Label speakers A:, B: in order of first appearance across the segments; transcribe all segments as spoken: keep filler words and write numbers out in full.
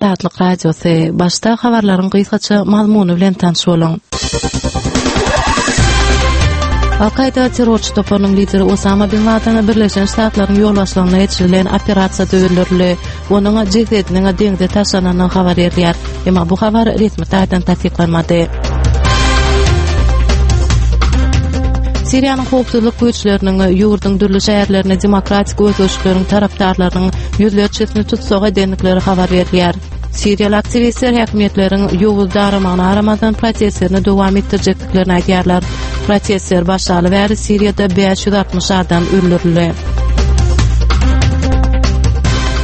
A: Azatlyk Radiosy, Başda habarlaryň gysgaça mazmuny bilen tanyş boluň. Al-Kaýda terrorçy toparynyň lideri Osama bin Laden Birleşen Ştatlaryň ýolbaşçylygynda geçirilen operasiýada öldürildi. Onuň jesediniň deňze taşlanandygy habar berilýär. Emma bu habar resmi taýdan tassyklanmady. Siriýanyň howpsuzlyk güýçleriniň ýurduň dürli şäherlerinde demokratik özgerişlikleriň tarapdarlarynyň ýüzlerçesini tussag edendikleri habar berilýär. Siriýaly aktiwistler häkimiýetleriň ýowuz daramagyna garamazdan protestlerini dowam etdirjekdiklerini aýdýarlar. Protestler başlaly bäri Siriýada bäş ýüz altmyş adam öldürildi.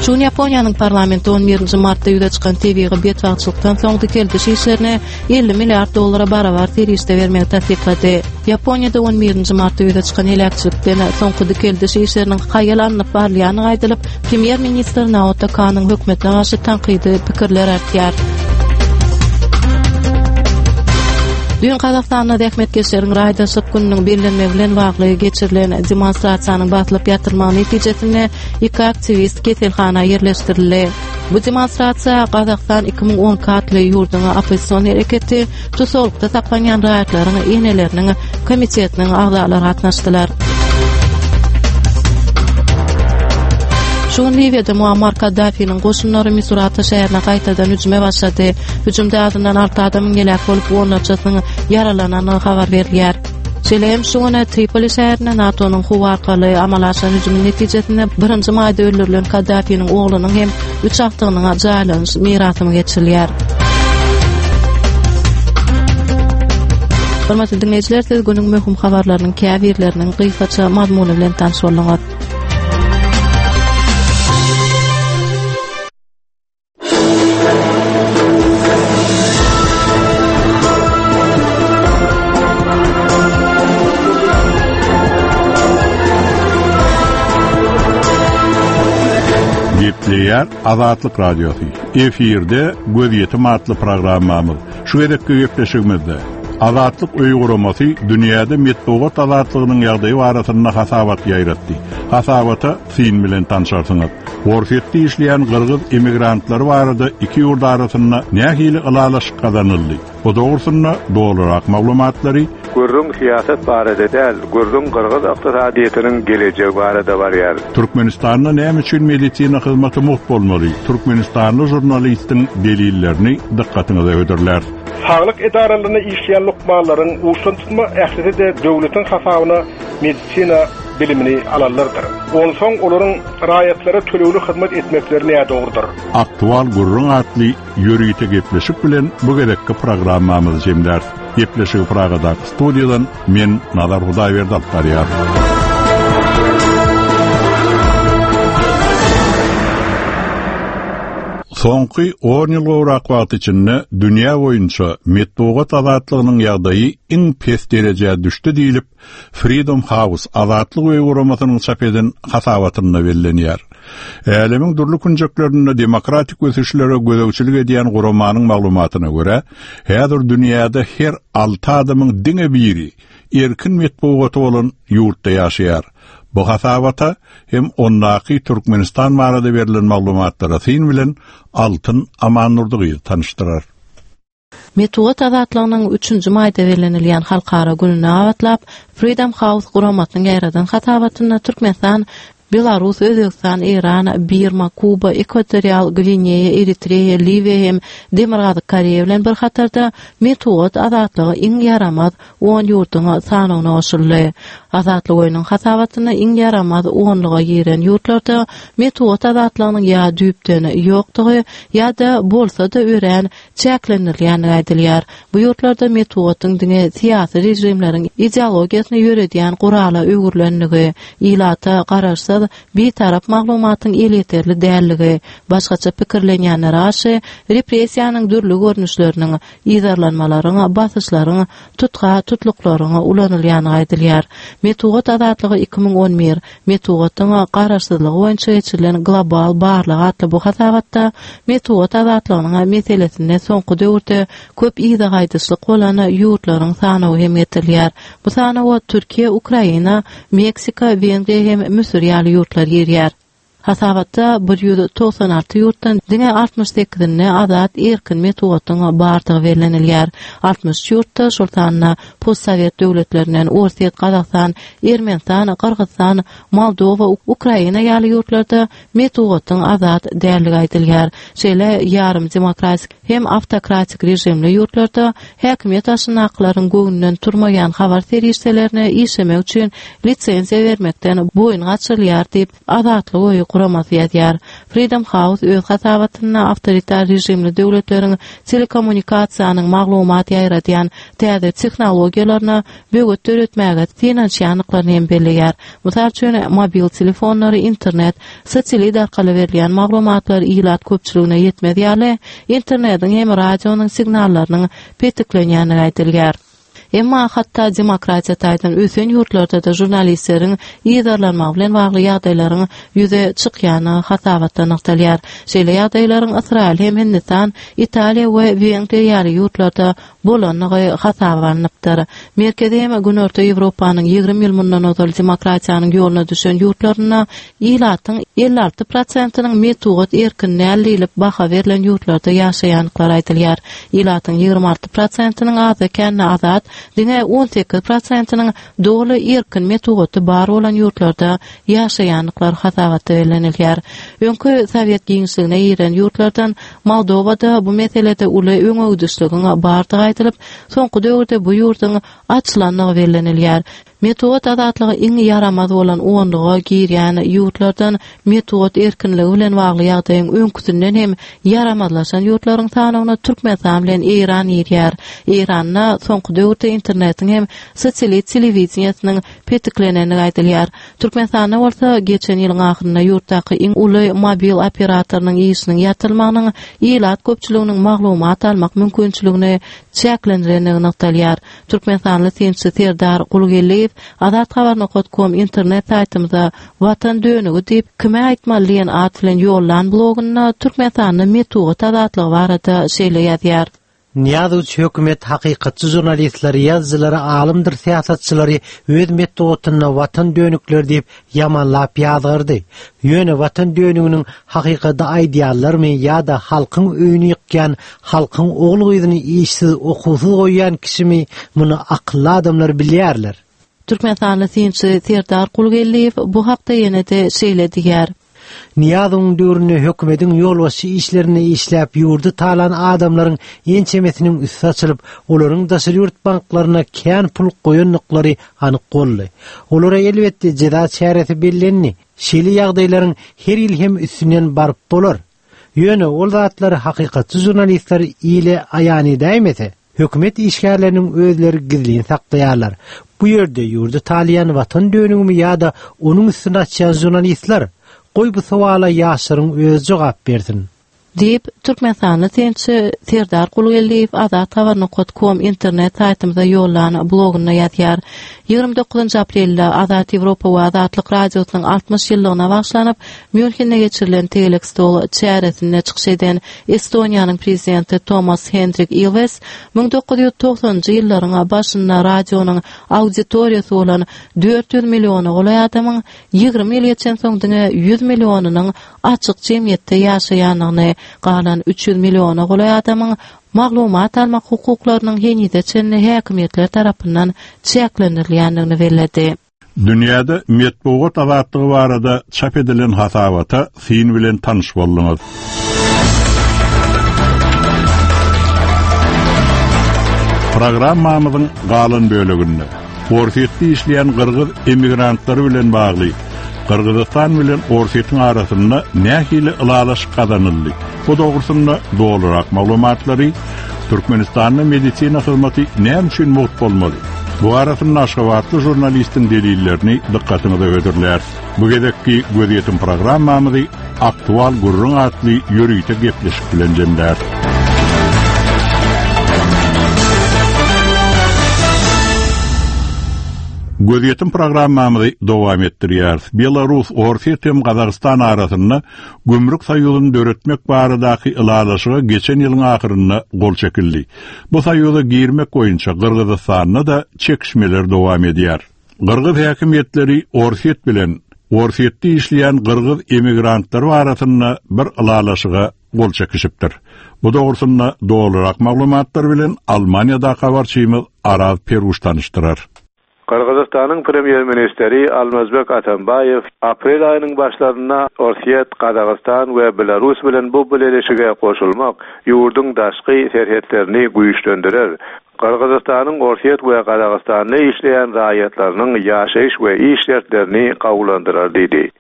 A: Şu gün Ýaponiýanyň parlamenti on birinji martda ýüze çykan tebigy betbagtçylykdan soň dikeldiş işlerine elli milliard dollara barabar serişde bermegi tassyklady. Ýaponiýada on birinji martda ýüze çykan heläkçilikden soňky dikeldiş işleriniň haýal alnyp barylýandygy aýdylyp, premýer-ministr Naoto Kanyň hökümetine garşy tankydy pikirler artýar. Düýn Gazagystanda zähmetkeşleriň raýdaşlyk gününiň bellenmegi bilen bagly geçirilen demonstrasiýanyň basylyp ýatyrylmagy netijesinde iki aktiwist keselhana ýerleşdirildi. Bu demonstrasiýa Gazagystan iki müň on iki atly ýurduň oppozision hereketi tussaglykda saklanýan raýatlaryň eneleriniň komitetiniň agzalary gatnaşdylar. Şu gün Liwiýada Muammar Kaddafiniň goşunlary Misurata şäherine gaýtadan hüjüme başlady. Hüjümde azyndan alty adamyň heläk bolup, onlarçasynyň ýaralanandygy habar berilýär. Şeýle hem şu gün Tripoli şäherinde NATO-nyň howa arkaly amala aşyran hüjümi netijesinde birinji maýda öldürilen Kaddafiniň oglunyň hem üç agtygynyň jaýlanyş merasymy geçirilýär. Hormatly diňleýjiler, siz günüň möhüm habarlarynyň käbirleriniň gysgaça mazmuny bilen tanyş bolduňyz.
B: Gepleýär Azatlyk Radiosy. Efirde Gözýetim atly programmamyz. Şu gezekki gepleşigimizde Azatlyk öýi guramasy dünýäde metbugat azatlygynyň ýagdaýy barasynda hasabat ýaýratdy. Hasabata syn bilen tanşarsyňyz. Orsýetde işleýän gyrgyz emigrantlary barada iki ýurt arasynda nähili ylalaşyk gazanyldy? Bu dogrusynda dolurak maglumatlary
C: Gürrüň syýasat barada däl, gürrüň gyrgyz ykdysadyýetiniň gelejegi barada barýar.
B: Türkmenistanda näme üçin medisina hyzmaty mugt bolmaly? Türkmenistanly žurnalistiň delillerini dykgatyňyza hödürler.
D: Saglyk edaralarynda işleýän lukmanlaryň uçdan tutma ählisi-de döwletiň hasabyna medisina bilimini alanlardyr. Onsoň olaryň raýatlara tölegli hyzmat etmekleri nädogrudyr.
B: Aktual gürrüň atly ýörite gepleşik bilen bu gezekki programmamyzy jemläris. Gepleşigi Pragadaky studiýadan men Nazar Hudaýberdi alyp barýar. Soňky on ýyl gowrak wagt içinde dünýä boýunça metbugat azatlygynyň ýagdaýy iň pes derejä düşdi diýlip, Freedom House Azatlyk öýi guramasynyň çap eden hasabatynda bellenýär. Älemiň dürli künjeklerinde demokratik ösüşlere gözegçilik edýän guramanyň maglumatyna görä, häzir dünýäde her alty adamyň diňe biri erkin metbugaty bolan ýurtda ýaşaýar. Bu hasabata hem ondaky Türkmenistan barada berlen maglumatlara syn bilen Altyn Amannurdy tanyşdyrar.
A: Metbugat azatlygynyň üçünji maýda bellenilýän halkara gününe gabatlap, Freedom House guramasynyň ýaýradan hasabatynda Türkmenistan, Belarus, Özbegistan, Eýran, Birma, Kuba, Ekwatorial Gwineýa, Eritreýa, Liwiýa hem Demirgazyk Koreýa bilen bir hatarda metbugat azatlygy iň ýaramaz on ýurduň sanawyna goşuldy. Azatlyk öýüniň hasabatynda iň ýaramaz onluga giren ýurtlarda metbugat azatlygynyň ýa düýpden ýokdugy ýa-da bolsa-da örän çäklendirilýändigi aýdylýar. Bu ýurtlarda metbugatyň diňe syýasy režimleriň ideologiýasyny ýöredýän gurala öwrülendigi, ilata garaşsyz bitarap maglumatyň elýeterli dälligi, başgaça pikirlenýänlere garşy repressiýanyň dürli görnüşleriniň, yzarlanmalaryň, basyşlaryň, tutga tutluklaryň ulanylýandygy aýdylýar. Metbugat azatlygy iki müň on bir, metbugatyň garaşsyzlygy boýunça geçirilen global barlag atly bu hasabatda metbugat azatlygynyň meselesinde soňky döwürde köp yza gaýdyşlyk bolan ýurtlaryň sanawy hem getirilýär. Bu sanawa Türkiýe, Ukraina, Meksika, Wengriýa hem Müsür ýaly ýurtlar girýär. Hasabatda bir ýüz togsan alty ýurtdan diňe altmyş sekizinde azat erkin metbugatyň bardygy bellenilýär. Altmyş üç ýurtda, şol sanda postsowet döwletlerinden Orsýet, Gazagystan, Ermenistan, Gyrgyzystan, Moldowa, Ukraina ýaly ýurtlarda metbugatyň azat däldigi aýdylýar. Şeýle ýarym demokratik hem awtokratik režimli ýurtlarda häkimiýet başyndakylaryň göwnünden turmaýan habar serişdelerine işlemek üçin lisenziýa bermekden boýun gaçyrylýar diýip, Azatlyk öýi guramasy ýazýar. Freedom House öz hasabatynda awtoritar režimli döwletleriň telekommunikasiýanyň maglumat ýaýradýan täze tehnologiýalaryna böwet döretmäge synanyşýandyklaryny hem belleýär. Mysal üçin, mobil telefonlary, internet, satellit arkaly berilýän maglumatlar ilat köpçüligine ýetmez ýaly, internetiň hem radionyň signallarynyň petiklenýändigi aýdylýar. Emma hatda demokratiýa taýdan ösen ýurtlarda-da žurnalistleriň yzarlanmagy bilen bagly ýagdaýlaryň ýüze çykýandygy hasabatda nygtalýar. Şeýle ýagdaýlaryň Ysraýyl hem Hindistan, Italiýa we Wengriýa ýaly ýurtlarda bolandygy hasaba alnypdyr. Merkezi hem Günorta Ýewropanyň ýigrimi ýyl mundan ozal demokratiýanyň ýoluna düşen ýurtlarynda ilatyň elli alty prosentiniň metbugat erkin däl diýlip baha berlen ýurtlarda ýaşaýandyklary aýdylýar. Ilatyň ýigrimi alty prosentiniň azda-kände azat, diňe on sekiz prosentiniň doly erkin metbugaty bar bolan ýurtlarda ýaşaýandyklary hasabatda bellenilýär. Öňki sowet giňişligine giren ýurtlardan Moldowada bu meselede uly öňegidişligiň bardygy aýdylyp, soňky döwürde bu ýurduň açylandygy bellenilýär. Metbugat azatlygy iň ýaramaz bolan onluga girýän ýurtlardan metbugat erkinligi bilen bagly ýagdaýyň öňküsinden hem ýaramazlaşan ýurtlaryň sanawyna Türkmenistan bilen Eýran girýär. Eýranda soňky döwürde internetiň hem satellit telewideniýesiniň petiklenendigi aýdylýar. Türkmenistanda bolsa geçen ýylyň ahyrynda ýurtdaky iň uly mobil operatorynyň işiniň ýatyrylmagynyň ilat köpçüliginiň maglumat almak mümkinçiligini çäklendirendigi nygtalýar. Türkmenistanly synçy Serdar Gulgeldiýew Azat Habar nokat kom internet saýtymyza Watan dönügi diýip kime aýtmaly diýen at bilen ýollan blogunda Türkmenistanda metbugat azatlygy barada şeýle ýazýar.
E: Nyýazow hökümet hakykatçy žurnalistleri, ýazyjylary, alymdyr syýasatçylary öz metbugatynda watan dönükleri diýip ýamanlap ýazgardy. Ýöne watan dönüginiň hakykady aýdýarlarmy ýa-da halkyň öýüni ýykýan, halkyň ogul-gyzyny işsiz, okuwsyz goýýan kişimi muny akylly adamlar bilýärler.
A: Türkmenistanly synçy Serdar Gulgeldiýew bu hakda ýene-de şeýle diýýär.
E: Nyýazowyň döwründe hökümetiň ýolbaşçy işlerinde işläp ýurdy talan adamlaryň ençemesiniň üsti açylyp, olaryň daşary ýurt banklaryna kän pul goýandyklary anyk boldy. Olara elbetde jeza çäresi bellendi. Şeýle ýagdaýlaryň her ýyl hem üstünden baryp bolar. Ýöne ol zatlary hakykatçy žurnalistler ile aýan edäýmese, hökümet işgärleriniň özleri gizlin saklaýarlar. Bu ýerde ýurdy talaýan watan dönügimi ýa-da onuň üstüni açýan žurnalistler, goý bu sowala ýaşlaryň özi jogap bersin.
A: Diýip, Türkmenistanly synçy Serdar Gulgeldiýew Azat Habar nokat kom internet saýtymyza ýollan blogunda ýazýar. Ýigrimi dokuzynjy aprelde Azat Ýewropa we Azatlyk Radiosynyň altmyş ýyllygyna bagyşlanyp, Mýunhende geçirilen tegelek stol çäresinde çykyş eden Estoniýanyň prezidenti Tomas Hendrik Ilwes müň dokuz ýüz togsanynjy ýyllaryň başynda radionyň auditoriýasy bolan dört ýüz milliona golaý adamyň ýigrimi ýyl geçensoň diňe ýüz millionynyň açyk jemgyýetde ýaşaýandygyny, galan üç ýüz milliona golaý adamyň maglumat almak hukuklarynyň henize çenli häkimiýetler tarapyndan çäklendirilýändigini belledi.
B: Dünýäde metbugat azatlygy barada çap edilen hasabata syn bilen tanyş bolduňyz. Programmamyzyň galan böleginde Orsýetde işleýän gyrgyz emigrantlary bilen bagly Gyrgyzystan bilen Orsýetiň arasynda nähili ylalaşyk gazanyldy? Bu dogrusynda dolurak maglumatlary Türkmenistanda medisina hyzmaty näme üçin mugt bolmaly? Bu arasynda Aşgabatly žurnalistiň delillerini dykgatyňyza hödürler. Bu gezekki gözýetim programmamyzy Aktual gürrüň atly ýörite gepleşik bilen jemlär. Gözýetim programmamyzy dowam etdirýäris. Belarus, Orsýet hem Gazagystan arasynda gümrük soýuzyny döretmek baradaky ylalaşyga geçen ýylyň ahyrynda gol çekildi. Bu soýuza girmek boýunça Gyrgyzystanda da çekişmeler dowam edýär. Gyrgyz häkimiýetleri Orsýet bilen Orsýetde işleýän gyrgyz emigrantlar arasynda bir ylalaşyga gol çekişipdir. Bu dogrusynda dolurak maglumatlar bilen Almaniýada habarçymyz Araz Peruş tanyşdyrar.
C: Gyrgyzystanyň premýer-ministri Almazbek Atambaýew aprel aýynyň başlarynda Orsýet, Gazagystan we Belarus bilen bu bileleşige goşulmak ýurduň daşky serhetlerini güýçlendirer. Gyrgyzystanyň Orsýet we Gazagystanda işleýän raýatlarynyň ýaşaýyş we iş şertlerini gowulandyrar diýdi.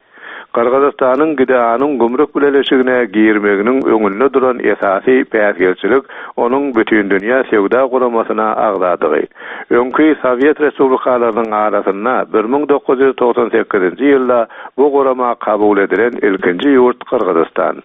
C: Gyrgyzystanyň GDA-nyň gümrük bileleşigine girmeginiň öňünde duran esasy päsgelçilik onuň Bütindünýä Söwda Guramasyna agzadygy. Öňki Sowet respublikalarynyň arasynda bir müň dokuz ýüz togsan sekizinji ýylda bu gurama kabul edilen ilkinji ýurt Gyrgyzystan.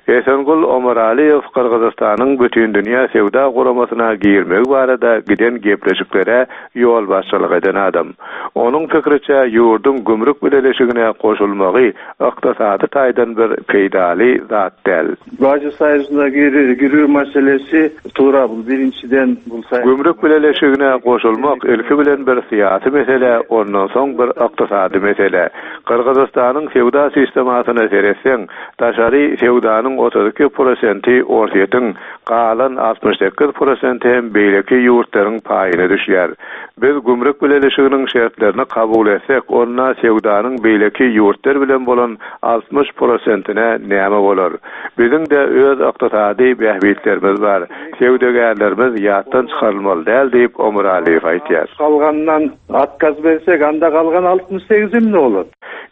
C: Esengul Omaralyýew Gyrgyzystanyň Bütindünýä Söwda Guramasyna girmegi barada giden gepleşiklere ýolbaşçylyk eden adam. Onuň pikiriçe ýurduň gümrük bileleşigine goşulmagy ykdysady taýdan bir peýdaly zat däl.
F: Bajy saýysyna girýär meselesi tura bu birinjiden bu
C: Gümrük bileleşigine goşulmak ilki bilen bir syýasy mesele, ondan soň bir ykdysady mesele. Gyrgyzystanyň söwda sistemasyna seretseň, daşary söwdanyň otuz iki prosenti Orsýetiň, galan altmyş sekiz prosenti hem beýleki ýurtlaryň paýyna düşýär. Biz gümrük bileleşiginiň şertlerini kabul etsek, onda söwdanyň beýleki ýurtlar bilen bolan altmyş prosentine näme bolar? Biziň de öz ykdysady bähbitlerimiz bar. Söwdagärlerimiz ýatdan çykarylmaly däl diýip Omuraliýew aýtýar.
F: Kalgandan atkaz bersek, anda kalgan altmyş sekiz ne olur?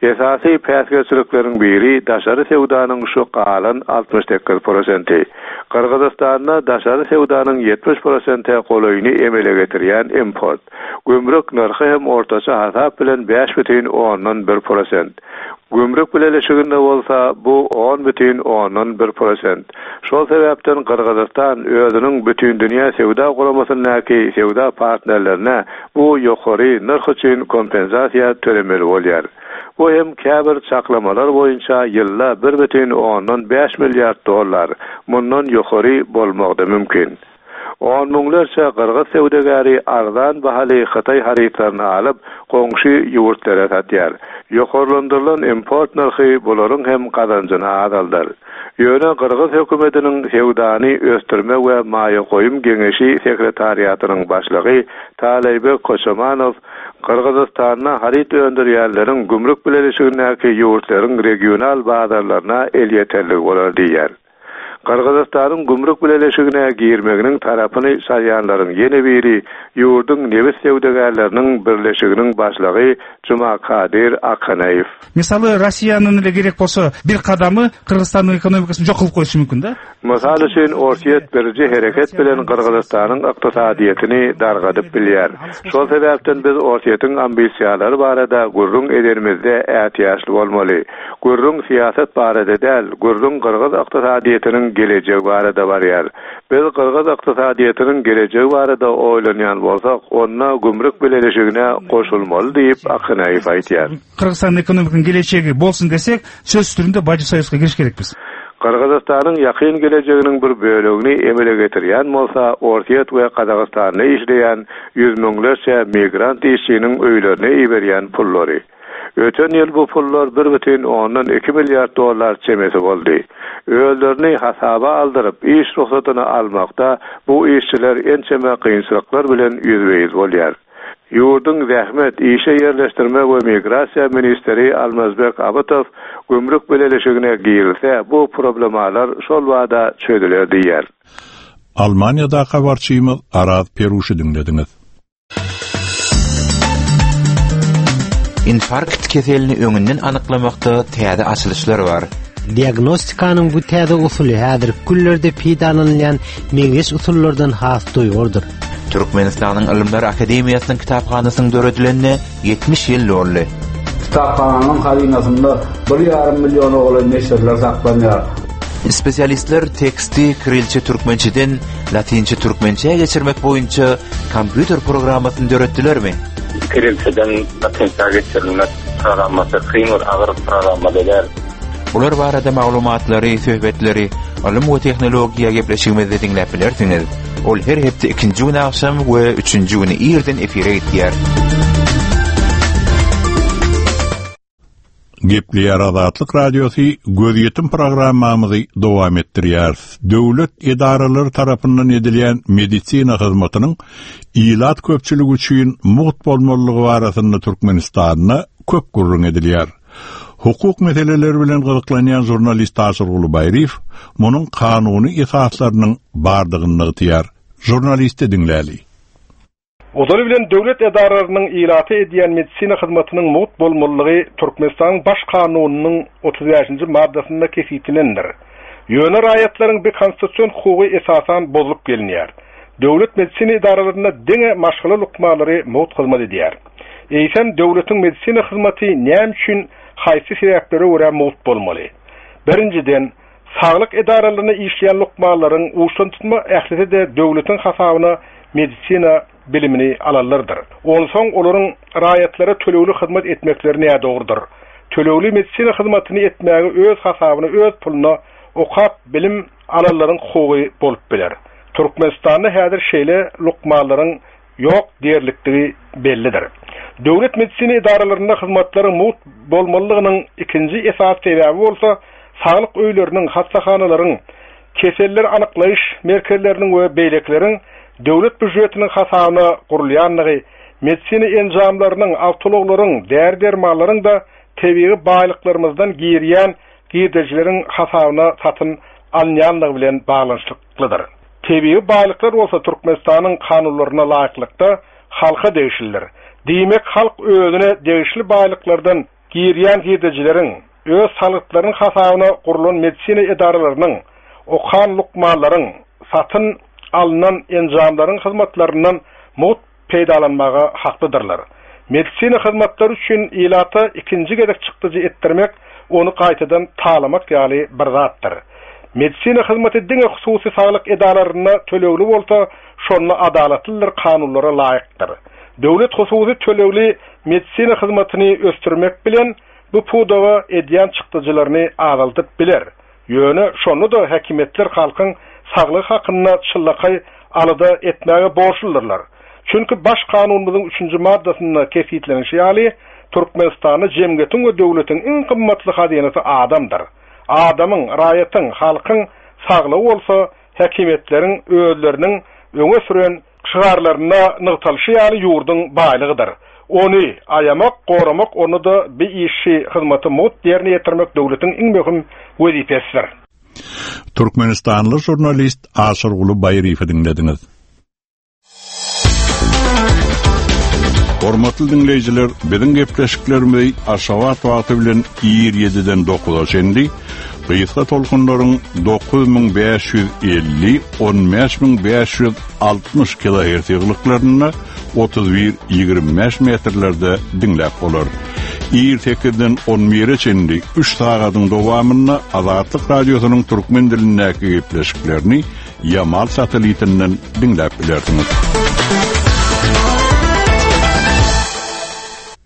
C: Esasy päsgelçilikleriň biri daşary söwdanyň şu galan altmyş sekiz prosenti. Gyrgyzystanda daşary söwdanyň ýetmiş prosente golaýyny emele getirýän import. Gümrük nyrhy hem ortaça hasap bilen bäş bütin ondan bir prosent. Gümrük bileleşiginde bolsa bu on bütin ondan bir prosent. Şol sebäpden Gyrgyzystan özüniň Bütindünýä Söwda Guramasyndaky söwda partnerlerine bu ýokary nyrh üçin kompensasiýa tölemeli bolýar. Bu hem käbir çaklamalar boýunça ýylda bir bütin ondan bäş milliard dollar mundan ýokary bolmagy da mümkin. On müňlerçe gyrgyz söwdagäri arzan bahaly Hytaý harytlaryny alyp, goňşy ýurtlara satýar. Ýokarlandyrylan import nyrhy bularyň hem gazanjyny azaldar. Ýöne gyrgyz hökümetiniň söwdany ösdürme we maýa goýum geňeşi sekretariatynyň başlygy Taleýbek Koçomanow Gyrgyzystanda haryt öndürýänleriň gümrük bileleşigindäki ýurtlaryň regional bazarlaryna elýeterligi bolar diýýär. Gyrgyzystanyň gümrük bileleşigine girmeginiň tarapyny saýanlaryň ýene biri ýurduň nebit söwdagärleriniň birleşiginiň başlygy Jumakadyr Akanaýew.
G: Misaly Rossiýanyň эле керек болсо бир кадамы Кыргызстандын экономикасын жок кылып коюшу мүмкүн да.
C: Mysal üçin Orsýet birji hereket bilen Gyrgyzystanyň ykdysadyýetini dargadyp bilýär. Şol sebäpden biz Orsýetiň ambisiýalary barada gürrüň ederimizde ätiýaçly bolmaly. Gürrüň syýasat barada däl, gürrüň Gyrgyz ykdysadyýetiniň gelejegi barada barýar. Biz Gyrgyz ykdysadyýetiniň gelejegi barada oýlanýan bolsak, onda gümrük bileleşigine goşulmaly diýip Akanaýew aýtýar.
G: Kyrgyzstandын экономикасынын келечеги болсун десек, сөзсүз түрдө бажы союзга кириш керекпиз.
C: Gyrgyzystanyň ýakyn gelejeginiň bir bölegini emele getirýän bolsa, Orsýet we Gazagystanda işleýän ýüz müňlerçe migrant işçiniň öýlerine iberýän pullary. Öten ýyl bu pullar bir bütin ondan iki milliard dollar çemesi boldy. Özlerini hasaba aldyryp, iş ruhsatyny almakda bu işçiler ençeme kynçylyklar bilen ýüzbe-ýüz bolýar. Ýurduň zähmet, işe ýerleşdirme we migrasiýa ministri Almazbek Abytow gümrük bileleşigine girilse, bu problemalar şol wada çözüler diýär.
B: Almaniýada habarçymyz Araz Peruşy diňlediňiz.
H: Infarkt keselini öňünden anyklamakda täze açylyşlar bar.
E: Diagnostikanyň bu täze usuly häzir günlerde peýdalanylýan meňzeş usullardan has doýurdyr.
H: Türkmenistanyň Ylymlar Akademiýasynyň kitaphanasynyň döredilenine ýetmiş ýyl doldy.
I: Kitaphananyň hazynasynda bir ýarym milliona golaý neşirler saklanýar.
H: Spesialistler teksti kirilçe türkmençeden latinçe türkmençeye geçirmek boýunça kompýuter programmasyny döretdilermi?
J: Kirilçeden latinçe geçirilmek programmasy kyn bir agyr programma däl.
H: Bular barada maglumatlary, söhbetleri, ylym we tehnologiýa gepleşigimizde diňläp bilersiňiz. Ol her hepde ikinji gün akşam we üçünji güni irden efire gitýär.
B: Gepleýär Azatlyk Radiosy gözýetim programmamyzy dowam etdirýär. Döwlet edaralary tarapyndan edilýän medisina hyzmatynyň ilat köpçüligi üçin mugt bolmalylygy barasynda Türkmenistanda köp gürrüň edilýär. Hukuk meseleleri bilen gyzyklanýan žurnalist Aşyrguly Baýryýew munuň kanuny esaslarynyň bardygyny nygtaýar. Žurnalisti diňläli.
D: Ozaly bilen döwlet edaralarynyň ilata edýän medisina hyzmatynyň mugt bolmalylygy Türkmenistanyň Baş kanunynyň otuz bäşinji maddasynda kesgitlenendir. Ýöne raýatlaryň bir konstitusion hukugy esasan bozulyp gelinýär. Döwlet medisina edaralarynda diňe maşgala lukmanlary mugt hyzmat edýär. Eýsem döwletiň medisina hyzmaty näme üçin haýsy sebäplere görä mugt bolmaly? Birinjiden, saglyk edaralarynda işleýän lukmanlaryň uçdan tutma ählisi-de döwletiň hasabyna medisina bilimini alanlardyr. Onsoň olaryň raýatlara tölegli hyzmat etmekleri nädogrudyr. Tölegli medisina hyzmatyny etmäge öz hasabyna, öz puluna okap bilim alanlaryň hukugy bolup biler. Türkmenistanda häzir şeýle lukmanlaryň ýok diýerlikdigi bellidir. Döwlet medisina edaralarynda hyzmatlaryň mugt bolmalylygynyň ikinji esas sebäbi bolsa, saglyk öýleriniň, hastahanalaryň, keseller anyklaýyş merkezleriniň we beýlekileriň döwlet býujetiniň hasabyna gurulýanlygy, medisina enjamlarynyň, awtoulaglaryň, däri-dermanlaryň da tebigy baýlyklarymyzdan girýän girdejileriň hasabyna satyn alynýanlygy bilen baglanyşyklydyr. Tebigy baýlyklar bolsa Türkmenistanyň kanunlaryna laýyklykda halka degişlidir. Diýmek, halk özüne degişli baýlyklardan girýän girdejileriň, öz salgytlarynyň hasabyna gurulan medisina edaralarynyň, okan lukmanlaryň, satyn alynan enjamlaryň hyzmatlaryndan mugt peýdalanmaga haklydyrlar. Medisina hyzmatlary üçin ilata ikinji gezek çykdyjy etdirmek, ony gaýtadan talamak ýaly bir zatdyr. Medisina hyzmaty diňe hususy saglyk edaralarynda tölegli bolsa, şonda adalatlydyr, kanunlara laýykdyr. Döwlet hususy tölegli medisina hyzmatyny ösdürmek bilen bu pudaga edýän çykdyjylaryny azaldyp biler. Ýöne şonda da häkimiýetler halkyň saglygy hakynda çyllakaý alada etmäge borçludyrlar. Çünki baş kanunymyzyň üçünji maddasynda kesgitlenişi ýaly, Türkmenistanda jemgyýetiň we döwletiň iň gymmatly hazynasy adamdyr. Adamyň, raýatyň, halkyň saglygy bolsa häkimiýetleriň özleriniň öňe süren şygarlarynda nygtalyşy ýaly ýurduň baýlygydyr. Ony aýamak, goramak, ony da bir işi hyzmaty mugt ýerine ýetirmek döwletiň iň möhüm wezipesidir.
B: Türkmenistanly žurnalist Aşyrguly Baýryýewi diňlediňiz. Hormatly dinleýjiler, biziň gepleşiklerimizi Aşgabat wagty bilen ir ýediden dokuza çenli, gysga tolkunlaryň dokuz müň bäş ýüz elli, on bäş müň bäş ýüz altmyş kilohertz ýyglyklarynda otuz bir ýigrimi bäş metrlerde diňläp bolar. Ir sekizden on bire çenli üç sagadyň dowamynda Azatlyk Radiosynyň türkmen dilindäki gepleşiklerini Yamal satelitinden diňläp bilersiňiz.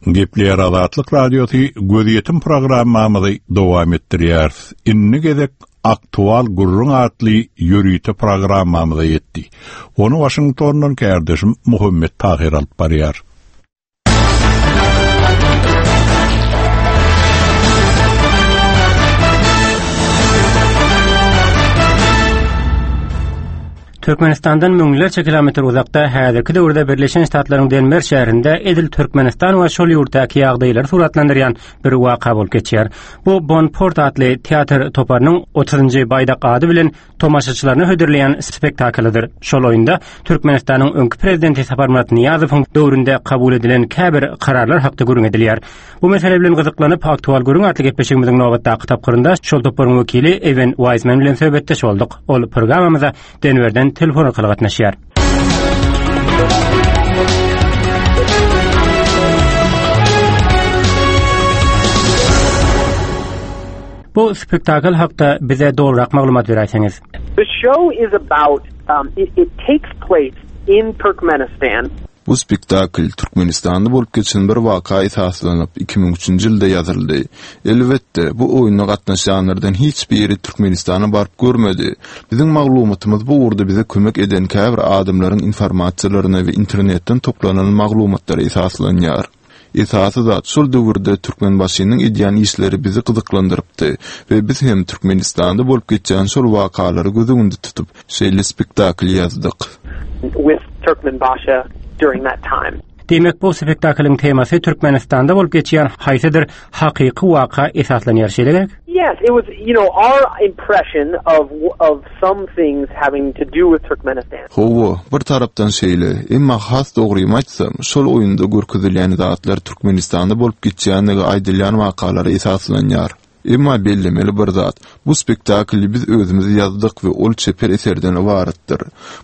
B: Gepleýär Azatlyk Radiosy gözýetim programmamyzy dowam etdirýär. Indi gezek Aktual gürrüň atly ýörite programmamyza ýetdi. Ony Washingtondan kärdeşim Muhammet Tahir alyp barýar.
K: Türkmenistandan müňlerçe kilometr uzakda häzirki döwürde Birleşen Ştatlaryň Denver şäherinde edil Türkmenistan we şol ýurtdaky ýagdaýlary suratlandyrýan bir waka bolup geçýär. Bu Bonport atly teatr toparynyň otuzynjy baýdak ady bilen tomaşaçylaryna hödürleýän spektaklydyr. Şol oýunda Türkmenistanyň öňki prezidenti Saparmyrat Nyýazowyň döwründe kabul edilen käbir kararlar hakda gürrüň edilýär. Bu mesele bilen gyzyklanyp Aktual gürrüň atly gepleşigimiziň nobatdaky tapgyrynda şol toparyň wekili Ewen Wiseman bilen söhbetdeş bolduk. Ol programmamyza Denverden telefon arkaly gatnaşýar. Bu spektakl hakda bize dogrurak maglumat beräýseňiz.
L: The show is about, um, it, it takes place in Turkmenistan.
M: Bu spektakl Türkmenistanda bolup geçen bir waka esaslanyp iki müň üçünji ýylda ýazyldy. Elbetde, bu oýuna gatnaşýanlardan hiç biri Türkmenistana baryp görmedi. Biziň maglumatymyz bu ugurda bize kömek eden käbir adamlaryň informasiýalaryna we internetden toplanan maglumatlara esaslanýar. Esasy zat şol döwürde Türkmenbaşynyň edýän işleri bizi gyzyklandyrypdy we biz hem Türkmenistanda bolup geçýän şol wakalary göz öňünde tutup şeýle spektakl ýazdyk.
L: With Turkmenbaşy during that time.
K: Diýmek bu spektaklyň temasy Türkmenistanda bolup geçýän haýsydyr hakyky waka esaslanýar şeýle gerek?
L: Yes, it was you know our impression of of some things having to do with Turkmenistan.
M: Hawa, bir tarapdan şeýle, emma has dogrymy aýtsam, şol oýunda görkezilýän zatlar Türkmenistanda bolup geçýändigi aýdylýan wakalara esaslanýar. Emma bellemeli bir zat, bu spektakly biz özümiz ýazdyk we ol çeper eserden ybaratdyr.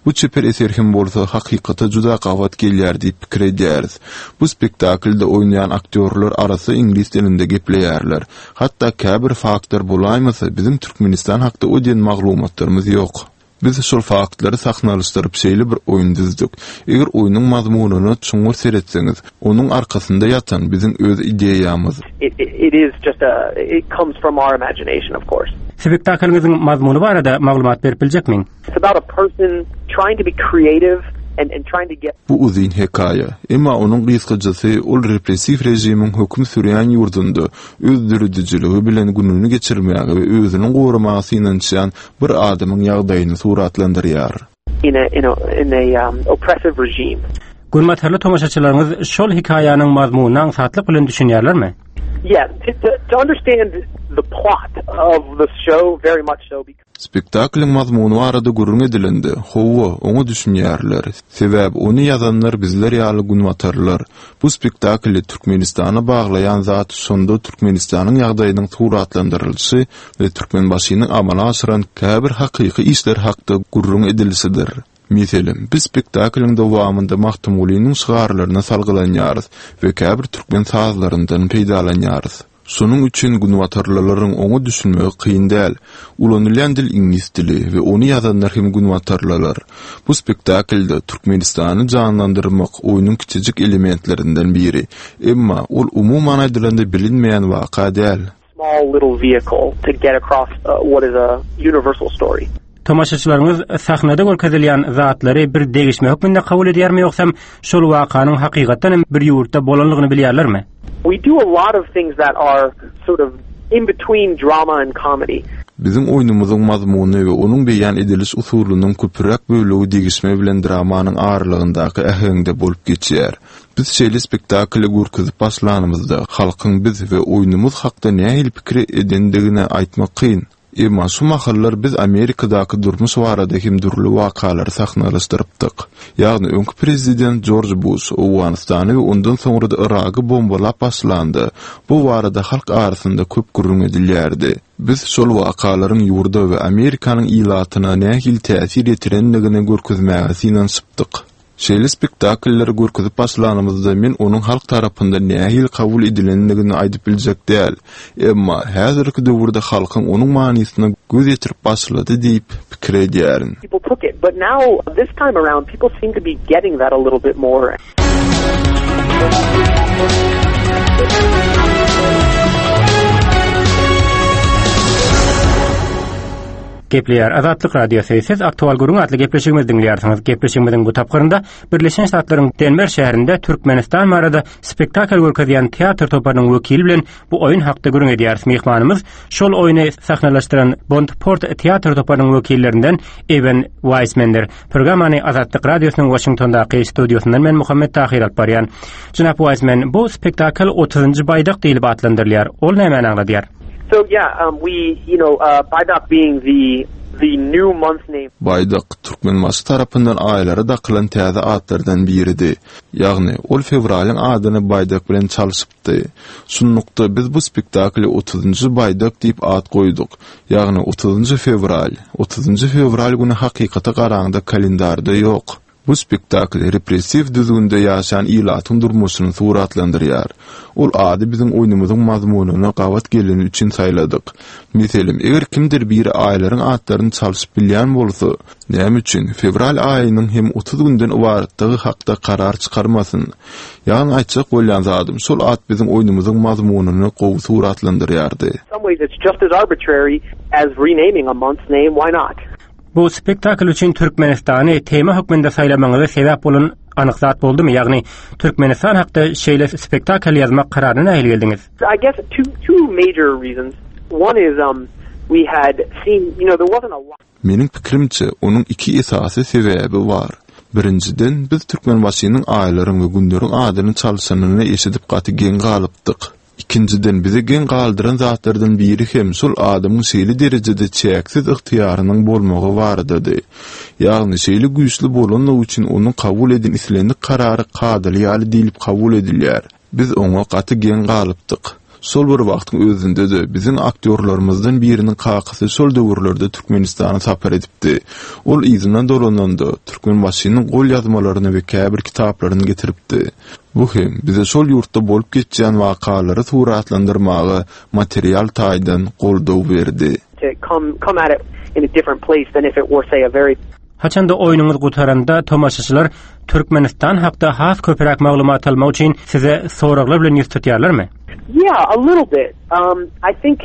M: Bu çeper eser hem bolsa hakykata juda gabat gelýär diýip pikir edýäris. Bu spektaklda oýnaýan aktýorlar arasy iňlis dilinde gepleýärler. Hatda käbir faktlar bolaýmasa biziň Türkmenistan hakda o diýen maglumatlarymyz ýok. Biz şol faktlary sahnalaşdyryp şeýle bir oýun düzdük. Eger oýnuň mazmunyna çuňňur seretseňiz, onuň arkasynda ýatan biziň öz ideýamyz.
L: It, it, it is just a it comes from our imagination of course.
K: Spektaklyňyzyň mazmuny barada maglumat berip biljekmiň?
L: It's about a person trying to be creative and and trying to get
M: Bu uzyn hekaýa. Emma onuň gysgajasy ol repressiw režimiň höküm sürýän ýurdunda öz döredijiligi bilen gününi geçirmäge we özüni goramaga synanyşýan bir adamyň ýagdaýyny suratlandyrýar.
L: in a in a in a um, oppressive regime.
K: Günbatarly tomaşaçylaryňyz şol hekaýanyň mazmunyna aňsatlyk bilen düşünýärlermi?
L: Yeah, to, to, to understand the plot of the show very much so because
M: Spektaklyň mazmuny barada gürrüň edilende, hawa, oňa düşünýärler. Sebäbi ony ýazanlar bizler ýaly günbatarlar. Bu spektakly Türkmenistana baglaýan zat şonda Türkmenistanyň ýagdaýynyň suratlandyrylyşy we Türkmenbaşynyň amala aşyran käbir hakyky işler hakda gürrüň edilişidir. Meselem, biz spektaklyň dowamynda Magtymgulynyň şygarlaryna salgylanýarys we käbir türkmen sazlaryndan peýdalanýarys. Şonuň üçin günbatarlylaryň oňa düşünmegi kyn däl. Ulanylýan dil iňlis dili we ony ýazanlar hem günbatarlylar. Bu spektaklda Türkmenistany janlandyrmak oýnuň kiçijik elementlerinden biri. Emma ol umuman aýdylanda bilinmeýän waka däl.
L: small little vehicle to get across uh, what is a universal story.
K: Tomaşaçylaryňyz sahnada görkezilýän zatlary bir degişme hökmünde kabul edýärmi ýogsam şol wakanyň hakykatdan hem bir ýurtda bolanlygyny bilýärlermi?
L: We do a lot of things that are sort of in between drama and comedy.
M: Biziň oýnumyzyň mazmuny we onuň beýan ediliş usulynyň köpräk bölegi degişme bilen dramanyň aralygyndaky äheňde bolup geçýär. Biz şeýle spektakly görkezip başlanymyzda halkyň biz we oýnumyz hakda nähili pikir edendigini aýtmak kyn. Emma şu mahallar biz Amerikadaky durmuş barada hem dürli wakalary sahnalaşdyrypdyk. Ýagny öňki prezident George Bush Owganystany we ondan soňra da Iragy bombalap başlandy. Bu barada halk arasynda köp gürrüň edilýärdi. Biz şol wakalaryň ýurda we Amerikanyň ilatyna nähili täsir ýetirendigini görkezmäge synanyşypdyk. Şeýle spektakllary görkezip başlanymyzda men onuň halk tarapyndan nähili kabul edilendigini aýdyp biljek däl. Emma häzirki döwürde halkyň onuň manysyna göz ýetirip başlady diýip pikir edýärin.
L: People took it, but now this time around people seem to be getting that a little bit more.
K: Gepleýär Azatlyk Radiosy. Siz Aktual Gürrüň atly gepleşigimizi diňleýärsiňiz. Gepleşigimiziň bu tapgyrynda Birleşen Ştatlaryň Denwer şäherinde Türkmenistan barada spektakl görkezýän teatr toparynyň wekili bilen bu oýun hakda gürrüň edýäris. Myhmanymyz şol oýny sahnalaşdyran Bondport teatr toparynyň wekillerinden Ewen Weismandyr. Programmany Azatlyk Radiosynyň Washingtondaky studiosyndan men Muhammet Tahir alyp barýan. Jenap Weisman, bu spektakl otuzynjy baýdak diýlip atlandyrylýar. Ol nämäni aňladýar?
L: So yeah, um, we, you know, uh, Baýdak being the, the new month name.
M: Baýdak Türkmenbaşy tarapyndan aýlara dakylan täze atlardan biridi. Ýagny ol fewralyň adyny Baýdak bilen çalşypdy. Şunlukda biz bu spektakly otuzynjy Baýdak diýip at goýduk. Ýagny otuzynjy fewral. Otuzynjy fewral güni hakykata garaňda kalendarda ýok. Bu spektakl repressiw düzgünde ýaşan ilatyň durmuşyny suratlandyrýar. Ol ady biziň oýnumyzyň mazmunyna gabat geleni üçin saýladyk. Meselem, eger kimdir biri aýlaryň atlaryny çalşyp bilýän bolsa, näme üçin fewral aýynyň hem otuz günden ybaratdygy hakda karar çykarmasyn? Ýagny aýtjak bolýan zadym, şol at biziň oýnumyzyň mazmunyny gowy suratlandyrýardy.
L: In some ways it's just as arbitrary as renaming a month's name, why not?
K: Bu spektakl üçin Türkmenistany tema hökmünde saýlamagyňyza sebäp bolan anyk zat boldumy? Ýagny Türkmenistan hakda şeýle spektakl ýazmak kararyna nähili geldiňiz?
L: I guess two two major reasons. One is um we had seen, you know, there wasn't a lot
M: Meniň pikirimçe, onuň iki esasy sebäbi bar. Birinjiden, biz Türkmenbaşynyň aýlaryň we günleriň adyny çalşanyny eşidip gaty geň galypdyk. Ikinjiden, bizi geň galdyran zatlardan biri hem şol adamyň şeýle derejede çäksiz ygtyýarynyň bolmagy baradady. Ýagny şeýle güýçli bolanlygy üçin onuň kabul eden islendik karary kadaly ýaly diýlip kabul edilýär. Biz oňa gaty geň galypdyk. Şol bir wagtyň özünde-de biziň aktýorlarymyzdan biriniň kakasy şol döwürlerde Türkmenistana sapar edipdi. Ol yzyna dolananda Türkmenbaşynyň gol ýazmalaryny we käbir kitaplaryny getiripdi. Bu hem bize şol ýurtda bolup geçýän wakalary suratlandyrmaga material taýdan goldaw berdi.
L: to come come at it in a different place than if it were say a very
K: Haçanda oýnuňyz gutaranda tomaşaçylar Türkmenistan hakda has köpräk maglumat almak üçin size soraglar bilen ýüz tutýarlarmy?
L: Yeah, a little bit. Um I think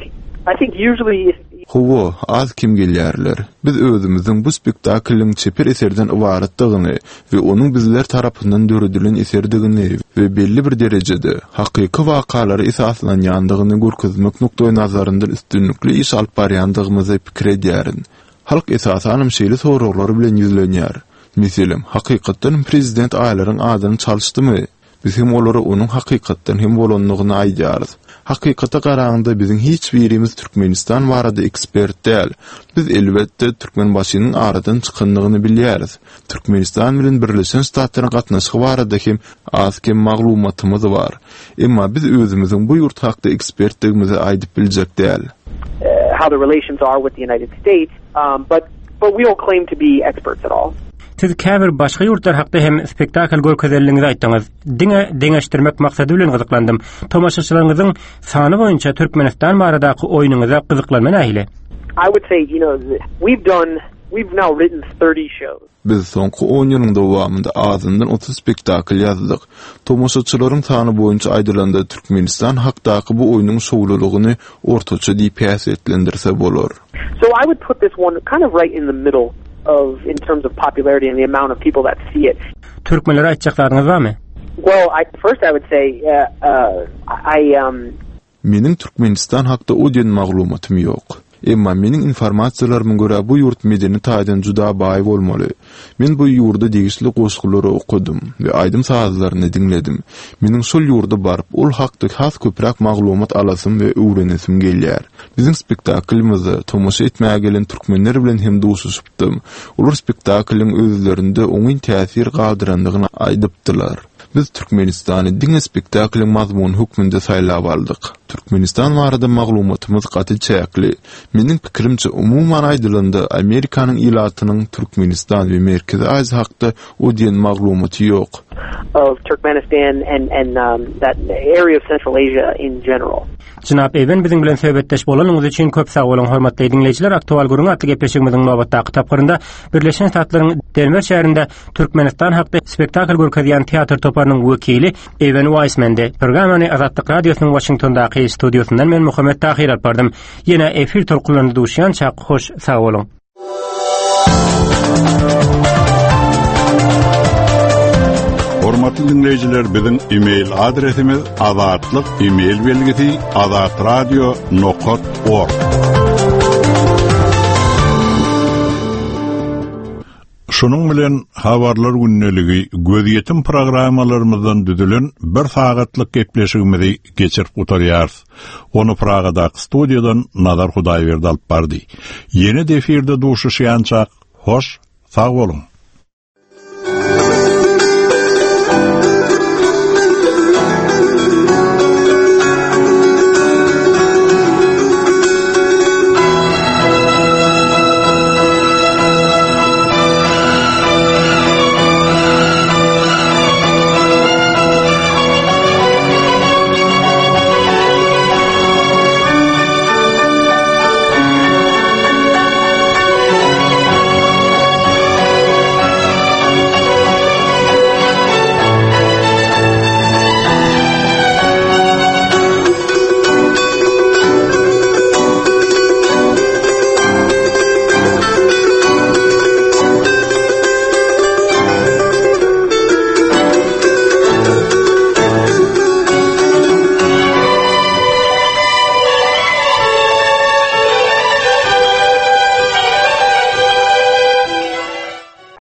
L: I think usually if
M: Hawa, az kem gelýärler. Biz özümiziň bu spektaklyň çeper eserden ybaratdygyny we onuň bizler tarapyndan döredilen eserdigini we belli bir derejede hakyky wakalara esaslanýandygyny görkezmek nukdaý nazaryndan üstünlikli iş alyp barýandygymyzy pikir edýärin. Halk esasanam şeýle soraglar bilen ýüzlenýär. Meselem, hakykatdan prezident aýlaryň adyny çalyşdymy? Biz hem olara onuň hakykatdan hem bolandygyny aýdýarys. Hakykata garaňda biziň hiç birimiz Türkmenistan barada ekspert däl. Biz elbetde Türkmenbaşynyň aradan çykandygyny bilýäris. Türkmenistan bilen Birleşen Ştatlaryň gatnaşygy barada hem az kem maglumatymyz bar. Emma biz özümiziň bu ýurt hakda ekspertdigimizi aýdyp biljek däl.
L: uh, how the relations are with the United States, um, but but we don't claim to be experts at all.
K: Siz käbir başga ýurtlar hakda hem spektakl görkezenligiňizi aýtdyňyz. Diňe deňeşdirmek maksady bilen gyzyklandym. Tomaşaçylaryňyzyň sany boýunça Türkmenistan baradaky oýnuňyza gyzyklanma nähili?
L: I would say, you know, we've done we've now written thirty shows.
M: Biz soňky on ýylyň dowamynda azyndan otuz spektakl ýazdyk. Tomaşaçylaryň sany boýunça aýdylanda Türkmenistan hakdaky bu oýnuň şowlulygyny ortaça diýip häsiýetlendirse bolar.
L: So I would put this one kind of right in the middle of in terms of popularity and the amount of people that see it.
K: Türkmenlere aýtjak zadyňyz barmy?
L: Well, I first I would say uh, uh, I um
M: Meniň Türkmenistan hakda o diýen maglumatym ýok. Emma meniň informasiýalaryma görä bu ýurt medeni taýdan juda baý bolmaly. Men bu ýurda degişli goşgulary okadym we aýdym sazlaryny diňledim. Meniň şol ýurda baryp, ol hakda has köpräk maglumat alasym we öwrenesim gelýär. Biziň spektaklymyzda tomaşa etmäge gelen türkmenler bilen hem duşuşypdym. Olar spektaklyň özlerinde oňyn täsir galdyrandygyny aýdypdylar. Biz Türkmenistany diňe spektaklyň mazmuny hökmünde saýlap aldyk. Türkmenistan barada maglumatymyz gaty çäkli. Meniň pikirimçe umuman aýdylanda Amerikanyň ilatynyň Türkmenistan we Merkezi Aziýa hakda o diýen maglumaty ýok.
L: of Turkmenistan and and um, that area of Central Asia in general.
K: Jenap Ewen biziň bilen söhbetdeş bolanyňyz üçin köp sag boluň, hormatly diňleýjiler. Aktual gürrüň atly gepleşigimiziň nobatdaky tapgyrynda Birleşen Ştatlaryň Denwer şäherinde Türkmenistan hakda spektakl görkezýän teatr toparynyň wekili Ewen Weismandi. Programmany Azatlyk Radiosynyň Washingtondaky studiosyndan men Muhammet Tahir alyp bardym. Ýene efir tolkunlarynda duşýança hoş sag boluň.
B: Hormatly dinleýjiler, biziň e-mail adresimiz azatlyk e-mail belgisi azatradio nokta org. Şunuň bilen habarlar gündeligi gözýetim programmalarymyzdan düzülen bir sagatlyk gepleşigimizi geçirip gutarýarys. Onu Pragadaky studiýadan Nazar Hudaýberdi alyp bardy. Ýene de efirde duşuşýança hoş sag boluň.